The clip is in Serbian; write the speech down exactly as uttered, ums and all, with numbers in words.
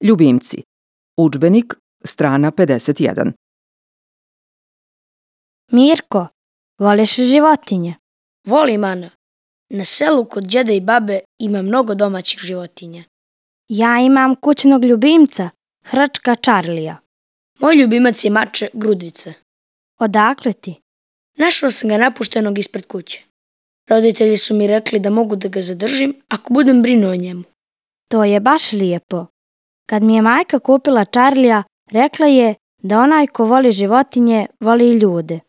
Ljubimci. Udžbenik, strana pedeset jedan. Mirko, voliš životinje? Volim, Ana. Na selu kod djeda i babe ima mnogo domaćih životinja. Ja imam kućnog ljubimca, hrčka Čarlija. Moj ljubimac je mače Grudvica. Odakle ti? Našao sam ga napuštenog ispred kuće. Roditelji su mi rekli da mogu da ga zadržim ako budem brinuo o njemu. To je baš lijepo. Kad mi je majka kupila Čarlija, rekla je da onaj ko voli životinje, voli i ljude.